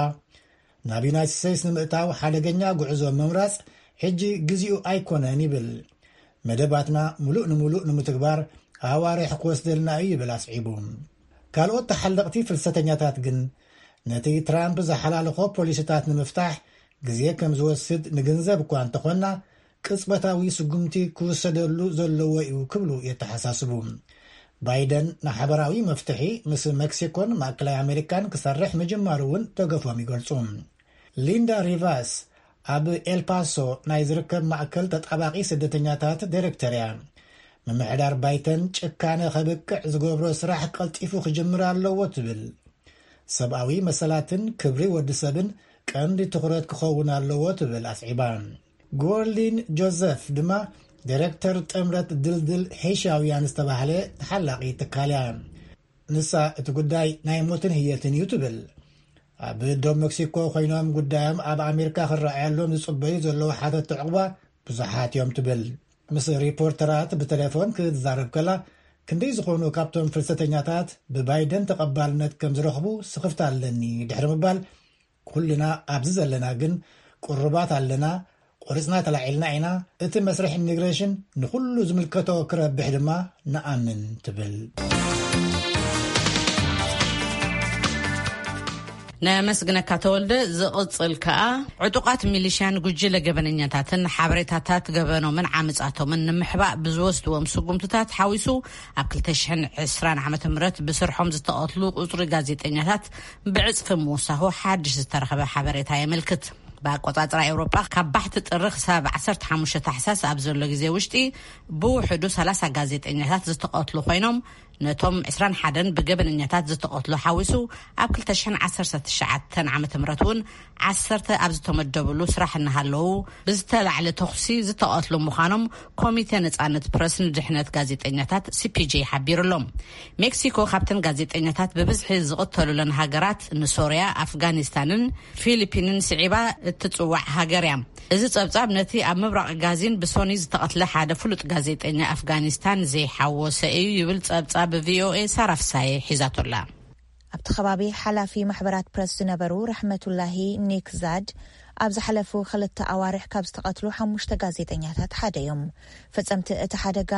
ናብ ዩናይትድ ስቴትስ ንምእታው ሓደገኛ ጉዕዞ ምምራጽ ሕጂ ግዜኡ ኣይኮነን ይብል። መደባትና ምሉእ ንምሉእ ንምትግባር ኣዋርሕ ክወስደልና እዩ ይብል ኣስዒቡ። ካልኦት ተሓለቕቲ ፍልሰተኛታት ግን ነቲ ትራምፕ ዝሓላለኾ ፖሊሲታት ንምፍታሕ ግዜ ከም ዝወስድ ንግንዘብ እኳ እንተኾንና፣ ቅጽበታዊ ስጉምቲ ክውሰደሉ ዘለዎ እዩ ክብሉ የተሓሳስቡ። ባይደን ንሓበራዊ መፍትሒ ምስ መክሲኮን ማእከላይ ኣሜሪካን ክሰርሕ ምጅማሩ እውን ደገፎም ይገልጹ። ሊንዳ ሪቫስ ኣብ ኤልፓሶ ናይ ዝርከብ ማእከል ተጣባቂ ስደተኛታት ዳይሬክተር እያ። ምምሕዳር ባይተን ጭካነ ከብቅዕ ዝገብሮ ስራሕ ቀልጢፉ ክጅምር ኣለዎ ትብል። ሰብኣዊ መሰላትን ክብሪ ወዲ ሰብን ቀንዲ ትኹረት ክኸውን ኣለዎ ትብል ኣስዒባ። ጎርሊን ጆዘፍ ድማ ዳይሬክተር ጥምረት ድልድል ሄሻውያን ዝተባህለ ተሓላቒ ትካል እያ። ንሳ እቲ ጉዳይ ናይ ሞትን ህየትን እዩ ትብል። ኣብ ዶብ መክሲኮ ኮይኖም ጉዳዮም ኣብ ኣሜሪካ ክረኣየሎም ዝጽበዩ ዘለዉ ሓተቲ ዕቑባ ብዙሓት እዮም ትብል። ምስ ሪፖርተራት ብቴሌፎን ክትዛረብ ከላ፣ ክንደይ ዝኾኑ ካብቶም ፍልሰተኛታት ብባይደን ተቐባልነት ከም ዝረኽቡ ስኽፍታ ኣለኒ ድሕሪ ምባል፣ ኩልና ኣብዚ ዘለና ግን ቅሩባት ኣለና፣ ቆሪጽና ተላዒልና ኢና። እቲ መስርሕ ኢሚግሬሽን ንኹሉ ዝምልከቶ ክረብሕ ድማ ንኣምን ትብል። ነመስግነካ ተወልደ። ዝቕጽል ከኣ ዕጡቓት ሚሊሽያን ጉጅለ ገበነኛታትን ሓበሬታታት ገበኖምን ዓመጻቶምን ንምሕባእ ብዝወስድዎም ስጉምትታት ሓዊሱ ኣብ ክልተ ሽሕን ዕስራን ዓመተ ምህረት ብስርሖም ዝተቐትሉ ቁጽሪ ጋዜጠኛታት ብዕጽፊ ምውሳኹ ሓድሽ ዝተረኸበ ሓበሬታ የመልክት። ብኣቆጻጽራ ኤውሮጳ ካብ ባሕቲ ጥሪ ክሳብ ዓሰርተ ሓሙሽተ ታሕሳስ ኣብ ዘሎ ግዜ ውሽጢ ብውሕዱ ሰላሳ ጋዜጠኛታት ዝተቐትሉ ኮይኖም፣ ነቶም ዕስራን ሓደን ብገበነኛታት ዝተቐትሉ ሓዊሱ ኣብ ክልተ ሽሕን ዓሰርተ ትሽዓተን ዓመተ ምህረት እውን ዓሰርተ ኣብ ዝተመደብሉ ስራሕ እናሃለዉ ብዝተላዕለ ተኹሲ ዝተቐትሉ ምዃኖም ኮሚቴ ነጻነት ፕረስ ንድሕነት ጋዜጠኛታት ሲ ፒ ጄ ሓቢሩ ኣሎ። ሜክሲኮ ካብተን ጋዜጠኛታት ብብዝሒ ዝቕተሉለን ሃገራት ንሶርያ፣ ኣፍጋኒስታንን ፊሊፒንን ስዒባ እትጽዋዕ ሃገር እያ። እዚ ጸብጻብ ነቲ ኣብ ምብራቕ ጋዚን ብሶኒ ዝተቐትለ ሓደ ፍሉጥ ጋዜጠኛ ኣፍጋኒስታን ዘይሓወሰ እዩ ይብል ጸብጻብ ቪ ኦ ኤ ሳራ ፍሳየ ሒዛቶላ። ኣብቲ ከባቢ ሓላፊ ማሕበራት ፕረስ ዝነበሩ ረሕመቱላሂ ኒክዛድ ኣብ ዝሓለፉ ክልተ ኣዋርሕ ካብ ዝተቐትሉ ሓሙሽተ ጋዜጠኛታት ሓደ እዮም። ፈጸምቲ እቲ ሓደጋ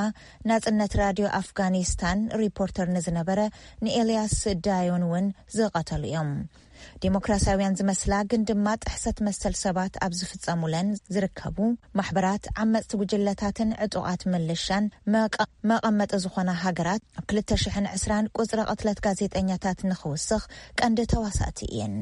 ናጽነት ራድዮ ኣፍጋኒስታን ሪፖርተር ንዝነበረ ንኤልያስ ዳዮን እውን ዝቐተሉ እዮም። ዴሞክራሲያውያን ዝመስላ ግን ድማ ጥሕሰት መሰል ሰባት ኣብ ዝፍጸሙለን ዝርከቡ ማሕበራት፣ ዓመጽቲ ጉጅለታትን ዕጡቓት ምልሻን መቐ- መቐመጢ ዝኾና ሃገራት ኣብ ክልተ ሽሕን ዕስራን ቁጽሪ ቅትለት ጋዜጠኛታት ንኽውስኽ ቀንዲ ተዋሳእቲ እየን።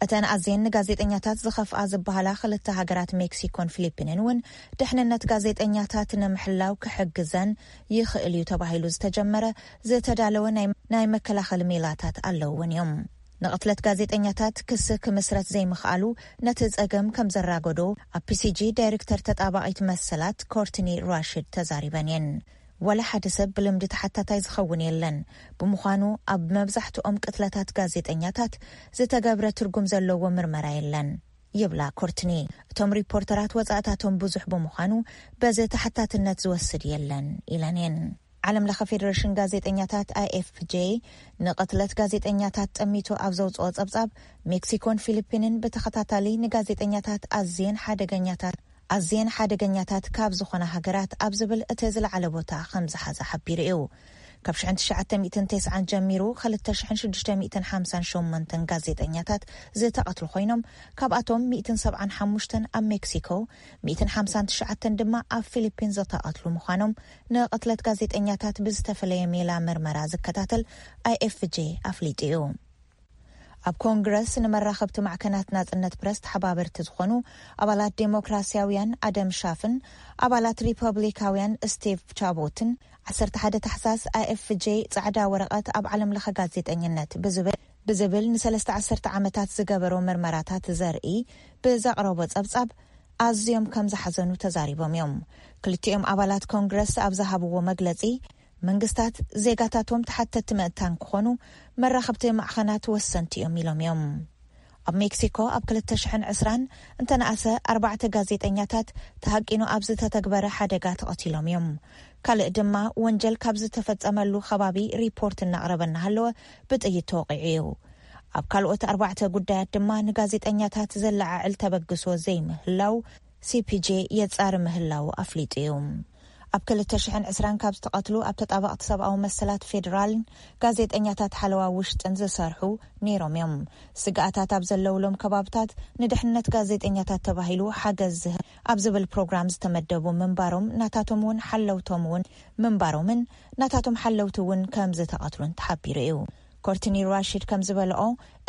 እተን ኣዝየን ንጋዜጠኛታት ዝኸፍኣ ዝበሃላ ክልተ ሃገራት ሜክሲኮን ፊሊፒንን እውን ድሕንነት ጋዜጠኛታት ንምሕላው ክሕግዘን ይኽእል እዩ ተባሂሉ ዝተጀመረ ዝተዳለወ ናይ- ናይ መከላኸሊ ሜላታት ኣለውውን እዮም። ንቕትለት ጋዜጠኛታት ክሲ ክምስረት ዘይምኽኣሉ ነቲ ጸገም ከም ዘራገዶ ኣብ ፒ ሲ ጂ ዳይሬክተር ተጣባቒት መሰላት ኮርትኒ ራሽድ ተዛሪበን እየን። ወላ ሓደ ሰብ ብልምዲ ተሓታታይ ዝኸውን የለን። ብምዃኑ ኣብ መብዛሕትኦም ቅትለታት ጋዜጠኛታት ዝተገብረ ትርጉም ዘለዎ ምርመራ የለን ይብላ ኮርትኒ። እቶም ሪፖርተራት ወጻእታቶም ብዙሕ ብምዃኑ በዚ ተሓታትነት ዝወስድ የለን ኢለን እየን። ዓለም ለኸ ፌደሬሽን ጋዜጠኛታት ኣይ ኤፍ ጄ ንቕትለት ጋዜጠኛታት ጠሚቱ ኣብ ዘውፅኦ ጸብጻብ፣ ሜክሲኮን ፊሊፒንን ብተኸታታሊ ንጋዜጠኛታት ኣዝየን ሓደገኛታት ኣዝየን ሓደገኛታት ካብ ዝኾና ሃገራት ኣብ ዝብል እቲ ዝለዓለ ቦታ ከም ዝሓዘ ሓቢሩ እዩ። ካብ ሽሕን ትሽዓተ ሚእትን ተስዓን ጀሚሩ ክልተ ሽሕን ሽዱሽተ ሚእትን ሓምሳን ሸሞንተን ጋዜጠኛታት ዝተቐትሉ ኮይኖም፣ ካብኣቶም ሚእትን ሰብዓን ሓሙሽተን ኣብ ሜክሲኮ፣ ሚእትን ሓምሳን ትሽዓተን ድማ ኣብ ፊሊፒን ዝተቐትሉ ምዃኖም ንቕትለት ጋዜጠኛታት ብዝተፈለየ ሜላ ምርመራ ዝከታተል ኣይኤፍጄ ኣፍሊጡ እዩ። ኣብ ኮንግረስ ንመራኸብቲ ማዕከናት ናጽነት ፕረስ ተሓባበርቲ ዝኾኑ ኣባላት ዴሞክራሲያውያን ኣደም ሻፍን ኣባላት ሪፐብሊካውያን ስቲቭ ቻቦትን ዓሰርተ ሓደ ታሕሳስ ኣይኤፍጄ ጻዕዳ ወረቐት ኣብ ዓለም ለኸ ጋዜጠኝነት ብዝብል ብዝብል ንሰለስተ ዓሰርተ ዓመታት ዝገበሮ ምርመራታት ዘርኢ ብዘቕረቦ ጸብጻብ ኣዝዮም ከም ዝሓዘኑ ተዛሪቦም እዮም። ክልቲኦም ኣባላት ኮንግረስ ኣብ ዝሃብዎ መግለጺ፣ መንግስታት ዜጋታቶም ተሓተቲ ምእንታን ክኾኑ መራኸብቲ ማዕኸናት ወሰንቲ እዮም ኢሎም እዮም። ኣብ ሜክሲኮ ኣብ ክልተ ሽሕን ዕስራን እንተነኣሰ ኣርባዕተ ጋዜጠኛታት ተሃቂኑ ኣብ ዝተተግበረ ሓደጋ ተቐቲሎም እዮም። ካልእ ድማ ወንጀል ካብ ዝተፈጸመሉ ከባቢ ሪፖርት እናቕረበ እናሃለወ ብጥይት ተወቒዑ እዩ። ኣብ ካልኦት ኣርባዕተ ጉዳያት ድማ ንጋዜጠኛታት ዘለዓዕል ተበግሶ ዘይምህላው ሲፒጄ የጻሪ ምህላው ኣፍሊጡ እዩ። ኣብ ክልተ ሽሕን ዕስራን ካብ ዝተቐትሉ ኣብ ተጣበቕቲ ሰብኣዊ መሰላት ፌዴራልን ጋዜጠኛታት ሓለዋ ውሽጥን ዝሰርሑ ነይሮም እዮም። ስግኣታት ኣብ ዘለውሎም ከባብታት ንድሕነት ጋዜጠኛታት ተባሂሉ ሓገዝ ዝህብ ኣብ ዝብል ፕሮግራም ዝተመደቡ ምንባሮም ናታቶም እውን ሓለውቶም እውን ምንባሮምን ናታቶም ሓለውቲ እውን ከም ዝተቐትሉን ተሓቢሩ እዩ። ኮርትኒ ራሽድ ከም ዝበልኦ፣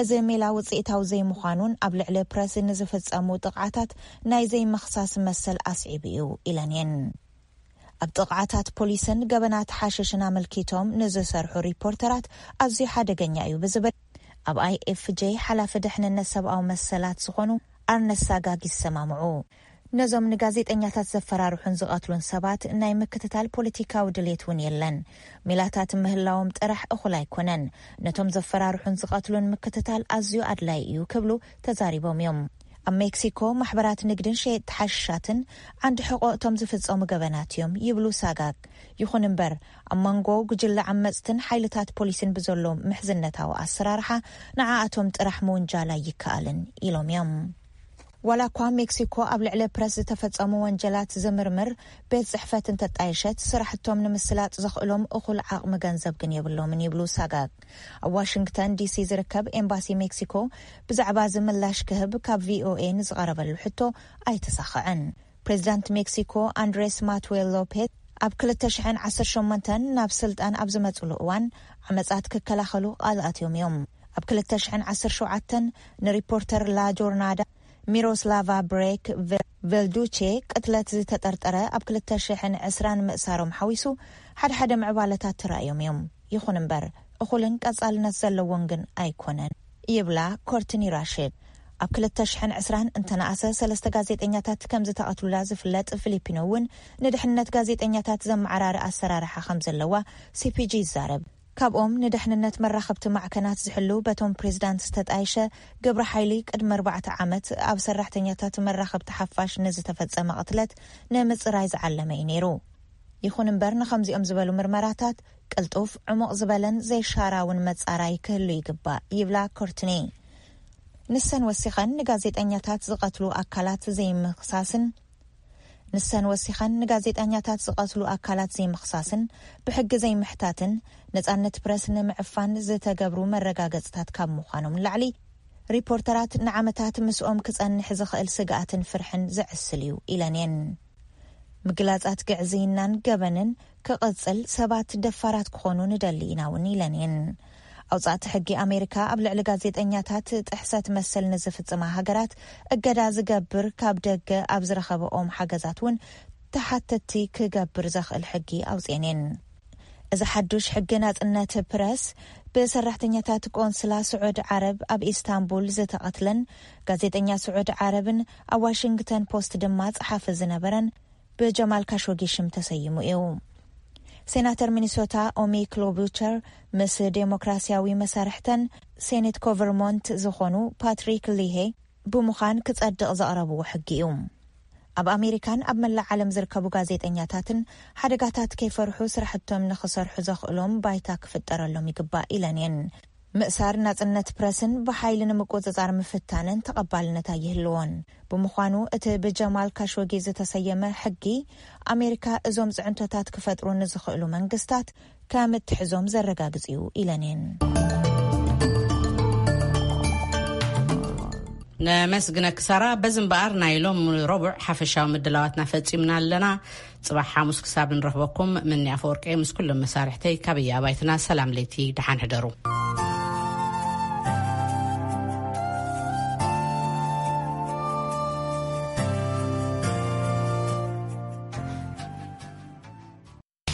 እዚ ሜላ ውፅኢታዊ ዘይምዃኑን ኣብ ልዕሊ ፕረስ ንዝፍጸሙ ጥቕዓታት ናይ ዘይምኽሳስ መሰል ኣስዒቡ እዩ ኢለን እየን። ኣብ ጥቕዓታት ፖሊስን ገበናት ሓሽሽን ኣመልኪቶም ንዝሰርሑ ሪፖርተራት ኣዝዩ ሓደገኛ እዩ ብዝብል ኣብ ኣይኤፍጄ ሓላፊ ድሕንነት ሰብኣዊ መሰላት ዝኾኑ ኣርነስት ሳጋግ ይሰማምዑ። ነዞም ንጋዜጠኛታት ዘፈራርሑን ዝቐትሉን ሰባት ናይ ምክትታል ፖለቲካዊ ድሌት እውን የለን። ሜላታት ምህላዎም ጥራሕ እኹል ኣይኮነን። ነቶም ዘፈራርሑን ዝቐትሉን ምክትታል ኣዝዩ ኣድላይ እዩ ክብሉ ተዛሪቦም እዮም። ኣብ ሜክሲኮ ማሕበራት ንግድን ሸየጥቲ ሓሽሻትን ዓንዲ ሕቆ እቶም ዝፍጸሙ ገበናት እዮም ይብሉ ሳጋግ። ይኹን እምበር ኣብ መንጎ ጉጅለ ዓመጽትን ሓይልታት ፖሊስን ብዘሎ ምሕዝነታዊ ኣሰራርሓ ንዓኣቶም ጥራሕ ምውንጃል ኣይከኣልን ኢሎም እዮም። ዋላ እኳ ሜክሲኮ ኣብ ልዕሊ ፕረስ ዝተፈጸሙ ወንጀላት ዝምርምር ቤት ጽሕፈት እንተጣየሸት፣ ስራሕቶም ንምስላጥ ዘኽእሎም እኹል ዓቕሚ ገንዘብ ግን የብሎምን ይብሉ ሳጋግ። ኣብ ዋሽንግተን ዲሲ ዝርከብ ኤምባሲ ሜክሲኮ ብዛዕባ እዚ ምላሽ ክህብ ካብ ቪኦኤ ንዝቐረበሉ ሕቶ ኣይተሳኸዐን። ፕሬዚዳንት ሜክሲኮ ኣንድሬስ ማትዌል ሎፔዝ ኣብ ክልተ ሽሕን ዓሰርተ ሸሞንተን ናብ ስልጣን ኣብ ዝመጽሉ እዋን ዓመጻት ክከላኸሉ ቃል ኣትዮም እዮም። ኣብ ክልተ ሽሕን ዓሰርተ ሸውዓተን ንሪፖርተር ላ ጆርናዳ ሚሮስላቫ ብሬክ ቨ-፣ ቨልዱቼ ቅትለት ዝተጠርጠረ ኣብ ክልተ ሽሕን ዕስራን ምእሳሮም ሓዊሱ ሓድሓደ ምዕባለታት ተራእዮም እዮም። ይኹን እምበር እኹልን ቀጻልነት ዘለዎን ግን ኣይኮነን ይብላ ኮርትኒ ራሽድ። ኣብ ክልተ ሽሕን ዕስራን እንተነኣሰ ሰለስተ ጋዜጠኛታት ከም ዝተቐትሉላ ዝፍለጥ ፊሊፒኖ እውን ንድሕንነት ጋዜጠኛታት ዘመዓራሪ ኣሰራርሓ ከም ዘለዋ ሲፒጂ ይዛረብ። ካብኦም ንድሕንነት መራኸብቲ ማዕከናት ዝሕሉ በቶም ፕሬዚዳንት ዝተጣየሸ ግብረ ሓይሊ ቅድሚ ኣርባዕተ ዓመት ኣብ ሰራሕተኛታት መራኸብቲ ሓፋሽ ንዝተፈጸመ ቅትለት ንምጽራይ ዝዓለመ እዩ ነይሩ። ይኹን እምበር ንኸምዚኦም ዝበሉ ምርመራታት ቅልጡፍ፣ ዕሙቕ ዝበለን ዘይሻራውን መጻራይ ክህሉ ይግባእ ይብላ ኮርትኒ። ንሰን ወሲኸን ንጋዜጠኛታት ዝቐትሉ ኣካላት ዘይምኽሳስን ንሰን ወሲኸን ንጋዜጠኛታት ዝቐትሉ ኣካላት ዘይምኽሳስን ብሕጊ ዘይምሕታትን ነጻነት ፕረስ ንምዕፋን ዝተገብሩ መረጋገጽታት ካብ ምዃኖም ንላዕሊ ሪፖርተራት ንዓመታት ምስኦም ክጸንሕ ዝኽእል ስግኣትን ፍርሕን ዘዕስል እዩ ኢለን እየን። ምግላጻት ግዕዝይናን ገበንን ክቕጽል ሰባት ደፋራት ክኾኑ ንደሊ ኢና እውን ኢለን እየን። ኣውጻእቲ ሕጊ ኣሜሪካ ኣብ ልዕሊ ጋዜጠኛታት ጥሕሰት መሰል ንዝፍጽማ ሃገራት እገዳ ዝገብር ካብ ደገ ኣብ ዝረኸበኦም ሓገዛት እውን ተሓተቲ ክገብር ዘኽእል ሕጊ ኣውጽኤን እየን። እዚ ሓዱሽ ሕጊ ናጽነት ፕረስ ብሰራሕተኛታት ቆንስላ ስዑድ ዓረብ ኣብ ኢስታንቡል ዝተቐትለን ጋዜጠኛ ስዑድ ዓረብን ኣብ ዋሽንግተን ፖስት ድማ ጸሓፊ ዝነበረን ብጀማል ካሾጊ ሽም ተሰይሙ እዩ። ሴናተር ሚኒሶታ ኦሚ ክሎቡቸር ምስ ዴሞክራሲያዊ መሳርሕተን ሴኔት ኮቨርሞንት ዝኾኑ ፓትሪክ ሊሄ ብምዃን ክጸድቕ ዘቕረብዎ ሕጊ እዩ። ኣብ ኣሜሪካን ኣብ መላእ ዓለም ዝርከቡ ጋዜጠኛታትን ሓደጋታት ከይፈርሑ ስራሕቶም ንኽሰርሑ ዘኽእሎም ባይታ ክፍጠረሎም ይግባእ ኢለን እየን። ምእሳር ናጽነት ፕረስን ብሓይሊ ንምቁጽጻር ምፍታንን ተቐባልነት ኣይህልዎን። ብምዃኑ እቲ ብጀማል ካሾጊ ዝተሰየመ ሕጊ ኣሜሪካ እዞም ጽዕንቶታት ክፈጥሩ ንዝኽእሉ መንግስታት ከም እትሕዞም ዘረጋግጽ እዩ ኢለን እየን። ነመስግነኪ ሳራ። በዚ እምበኣር ናይ ሎም ረቡዕ ሓፈሻዊ ምድላዋትና ፈጺምና ኣለና። ጽባሕ ሓሙስ ክሳብ ንረኽበኩም፣ ምኒ ኣፈወርቂ ምስ ኩሎም መሳርሕተይ ካብ ኣባይትና ሰላም ለይቲ፣ ደሓን ሕደሩ።